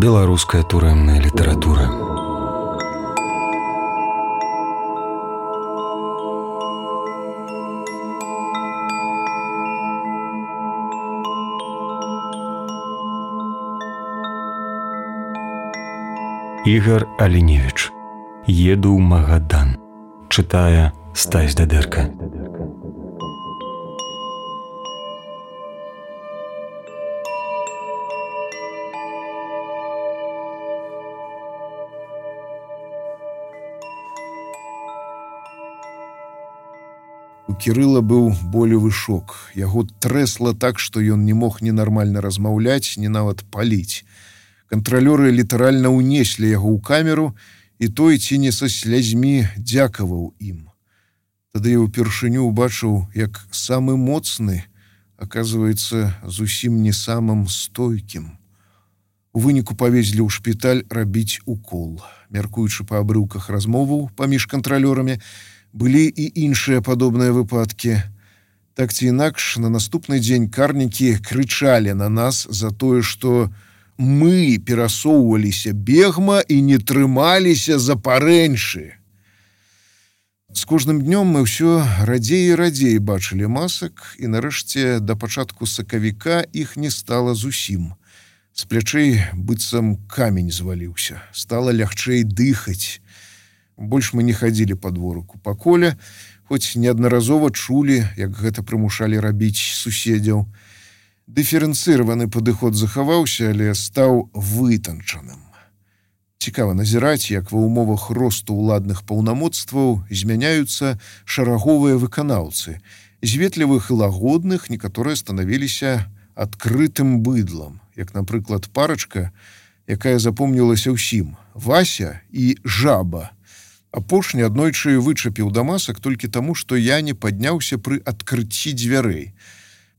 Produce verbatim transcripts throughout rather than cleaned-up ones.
Беларуская турэмная літаратура. Ігар Аліневіч. Еду ў Магадан. Чытае Стась Дадэрка. У Кірыла быў болевы шок. Яго трэсла так, што ён не мог ні нармальна размаўляць, ні нават паліць. Кантралёры літаральна ўнеслі яго ў камеру, і той ці не са слязьмі дзякаваў ім. Тады я ўпершыню ўбачыў, як самы моцны, аказваецца, зусім не самым стойкім. У выніку павезлі ў шпіталь рабіць укол. Мяркуючы па абрыўках размоваў паміж кантралёрамі, былі і іншыя падобныя выпадкі. Так ці інакш, на наступны дзень карнікі крычалі на нас за тое, што мы перасоўваліся бегма і не трымаліся за парэньшы. З кожным днём мы ўсё радзей і радзей бачылі масак, і нарэшце да пачатку сакавіка іх не стала зусім. З плячэй быццам камень зваліўся, стала лягчэй дыхаць. Больш мы не хадзілі па дворыку па коле, хоць неаднаразова чулі, як гэта прымушалі рабіць суседзяў. Дыферэнцыраваны падыход захаваўся, але стаў вытанчаным. Цікава назіраць, як ва ўмовах росту ўладных паўнамоцтваў змяняюцца шараговыя выканаўцы. З ветлівых і лагодных некаторыя станавіліся адкрытым быдлам, як, напрыклад, парачка, якая запомнілася ўсім – Вася і Жаба. Апошні аднойчы вычапіў да масак толькі таму, што я не падняўся пры адкрыцці дзвярэй.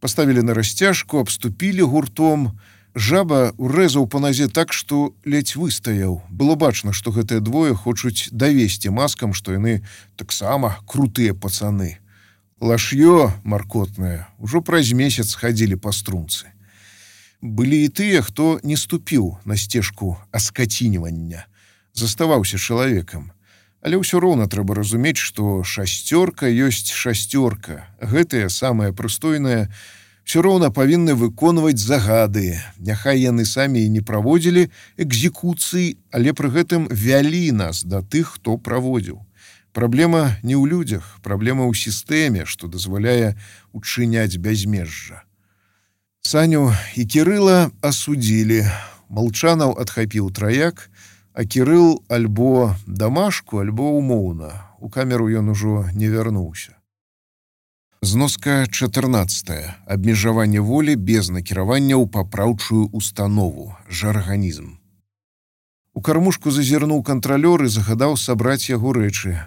Паставілі на расцяжку, абступілі гуртом. Жаба урэзаў па назе так, што ледзь выстаяў. Было бачна, што гэтыя двое хочуць давесці маскам, што яны таксама крутыя пацаны. Лаш'ё маркотнае ўжо праз месяц хадзілі па струнцы. Былі і тыя, хто не ступіў на сцежку аскацінівання. Заставаўся чалавекам. Але ўсё роўна трэба разумець, што шасцёрка ёсць шасцёрка. Гэтыя, самыя прыстойныя, ўсё роўна павінны выконваць загады. Няхай яны самі і не праводзілі экзекуцыі, але пры гэтым вялі нас да тых, хто праводзіў. Праблема не ў людзях, праблема ў сістэме, што дазваляе учыняць бязмежжа. Саню і Кірыла асудзілі. Малчанаў адхапіў траяк, а Кірыл альбо дамашку, альбо умоўна. У камеру ён ужо не вярнуўся. Зноска чатырнаццатая. Абмежаванне волі без накіравання ў папраўчую установу. Жарганізм. У кармушку зазірнуў кантралёр і загадаў сабраць яго рэчы.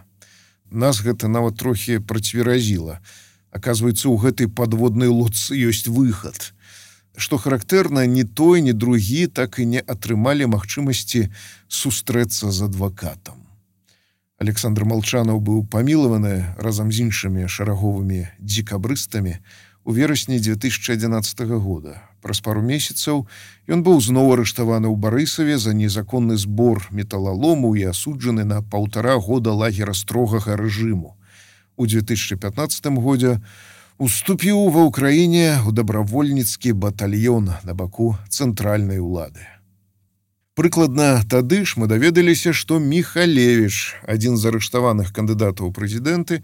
Нас гэта нават трохі працверазіла. Аказваецца, у гэтай падводнай лодцы ёсць выхад. Што характэрна, ні той, ні другі так і не атрымалі магчымасці сустрэцца з адвакатам. Александр Малчанаў быў памілаваны разам з іншымі шараговымі дзекабрыстамі у верасні дзве тысячы адзінаццатага года. Праз пару месяцаў ён быў зноў арыштаваны ў Барысаве за незаконны збор металалому і асуджаны на паўтара года лагера строгага рэжыму. У дзве тысячы пятнаццатым годзе уступіў ва ўкраіне ў дабравольніцкі батальён на баку цэнтральнай улады. Прыкладна тады ж мы даведаліся, што Міхалевіч, адзін з арыштаваных кандыдатаў у прэзідэнты,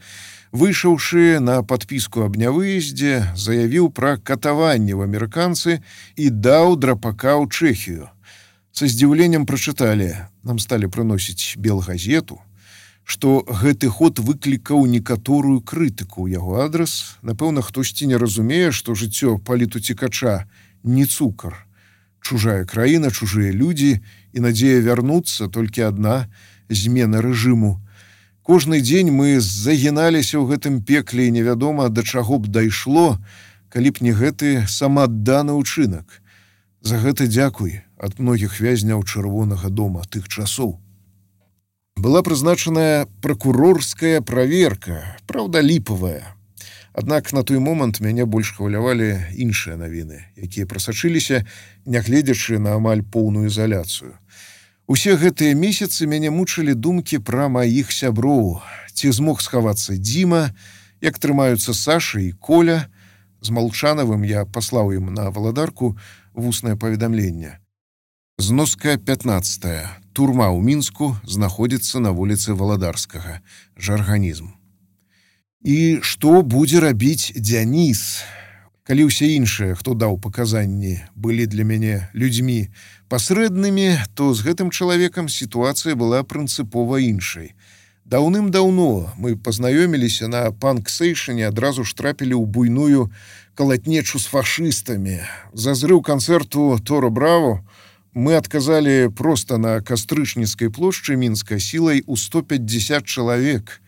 выйшаўшы на падпіску аб нявыездзе, заявіў пра катаванне ў амерыканцы і даў драпака ў Чэхію. Са здзіўленнем прачыталі, нам сталі прыносіць белгазету, што гэты ход выклікаў некаторую крытыку ў яго адрас. Напэўна, хтосьці не разумее, што жыццё палітуцікача не цукар. Чужая краіна, чужыя людзі і надзея вярнуцца толькі адна – змена рэжыму. Кожны дзень мы загіналіся ў гэтым пекле і невядома, да чаго б дайшло, калі б не гэты самаадданы ўчынак. За гэта дзякуй ад многіх вязняў Чырвонага дома тых часоў. Была прызначаная пракурорская праверка, праўда, ліпавая. Аднак на той момант мяне больш хвалявалі іншыя навіны, якія прасачыліся, нягледзячы на амаль поўную ізаляцыю. Усе гэтыя месяцы мяне мучылі думкі пра маіх сяброў. Ці змог схавацца Дзіма, як трымаюцца Саша і Коля. З Малчанавым я паслаў ім на Валадарку вуснае паведамленне. Зноска пятнадцатая. Турма ў Мінску знаходзіцца на вуліцы Валадарскага. Жарганізм. І што будзе рабіць Дзяніс? Калі ўсе іншыя, хто даў паказанні, былі для мяне людзьмі пасрэднымі, то з гэтым чалавекам сітуацыя была прынцыпова іншай. Даўным-даўно мы пазнаёміліся на панк-сейшане, адразу ж трапілі ў буйную калатнечу з фашыстамі. За зрыў канцэрту Торо Браво мы адказалі проста на Кастрычніцкай плошчы Мінска сілай у сто пятьдесят чалавек.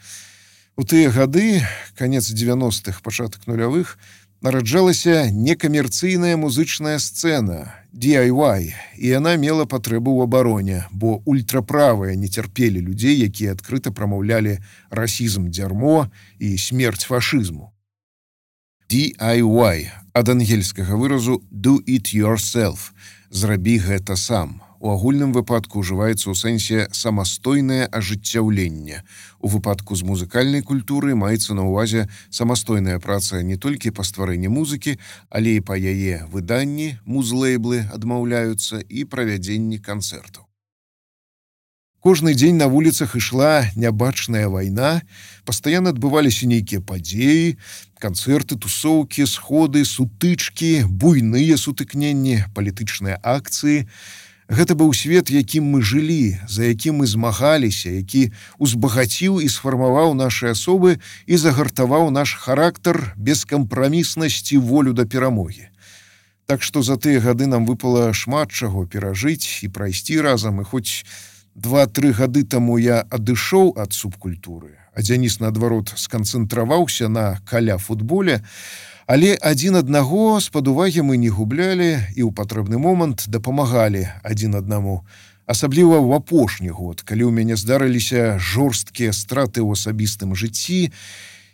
У тыя гады, канец дзевяностых, пачатак нулявых, нараджалася некамерцыйная музычная сцэна, ди ай вай, і яна мела патрэбу ў абароне, бо ультраправыя не цярпелі людзей, якія адкрыта прамаўлялі расізм дзярмо і смерць фашызму. ди ай вай, ад ангельскага выразу «do it yourself», «зрабі гэта сам». У агульным выпадку ўжываецца ў сэнсе самастойнае ажыццяўленне. У выпадку з музыкальнай культуры маецца на ўвазе самастойная праца не толькі па стварэнні музыкі, але і па яе выданні, музлейблы адмаўляюцца і правядзенні канцэртаў. Кожны дзень на вуліцах ішла нябачная вайна, пастаянна адбываліся нейкія падзеі, канцэрты, тусоўкі, сходы, сутычкі, буйныя сутыкненні, палітычныя акцыі. Гэта быў свет, якім мы жылі, за якім мы змагаліся, які узбагаціў і сфармаваў нашы асобы і загартаваў наш характар, бескампраміснасць і волю да перамогі. Так што за тыя гады нам выпала шмат чаго перажыць і прайсці разам, і хоць два-тры гады таму я адышоў ад субкультуры, а Дзяніс, наадварот, сканцэнтраваўся на каля-футболе, але адзін аднаго з-пад увагі мы не гублялі і ў патрэбны момант дапамагалі адзін аднаму. Асабліва ў апошні год, калі ў мяне здарыліся жорсткія страты ў асабістым жыцці,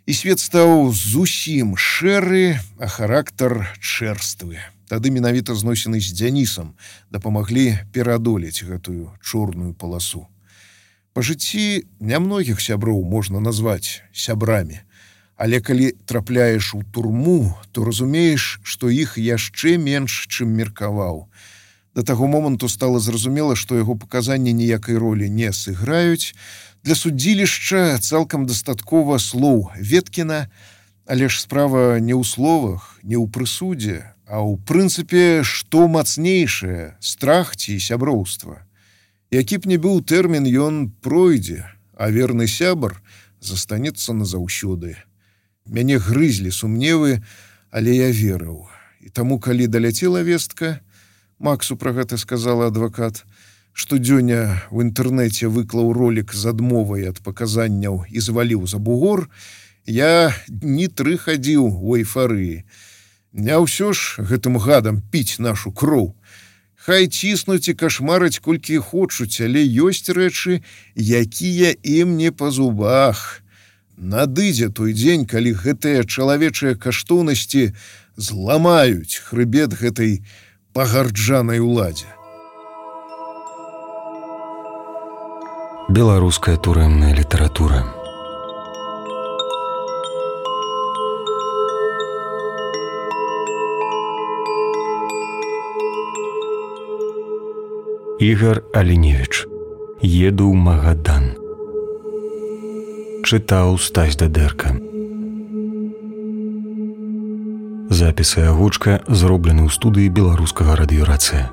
і свет стаў зусім шэры, а характар чэрствы. Тады менавіта зносіны з Дзянісам дапамаглі пераадолець гэтую чорную паласу. Па жыцці нямногіх сяброў можна назваць сябрамі. Але калі трапляеш у турму, то разумееш, што іх яшчэ менш, чым меркаваў. Да таго моманту стала зразумела, што яго паказанні ніякай ролі не сыграюць. Для судзілішча цалкам дастаткова слоў Веткіна, але ж справа не ў словах, не ў прысудзе, а ў прынцыпе, што мацнейшае, страх ці сяброўства. Які б не быў тэрмін, ён пройдзе, а верны сябар застанецца назаўсёды. Мяне грызлі сумневы, але я верыў. І таму, калі даляцела вестка, Максу пра гэта сказала адвакат, што Дзёня ў інтэрнэце выклаў ролік з адмовай ад паказанняў і зваліў за бугор, я дні тры хадзіў у эйфарыі. Не ўсё ж гэтым гадам піць нашу кроў. Хай ціснуць і кашмараць колькі хочуць, але ёсць рэчы, якія ім не па зубах. Надыдзе той дзень, калі гэтыя чалавечыя каштоўнасці зламаюць хрыбет гэтай пагарджанай уладзе. Беларуская турэмная літаратура. Ігар Аліневіч. Еду ў Магадан. Чытаў Стась Дадэрка. Запіс і агучка зроблены ў студыі Беларускага радыёрацыя.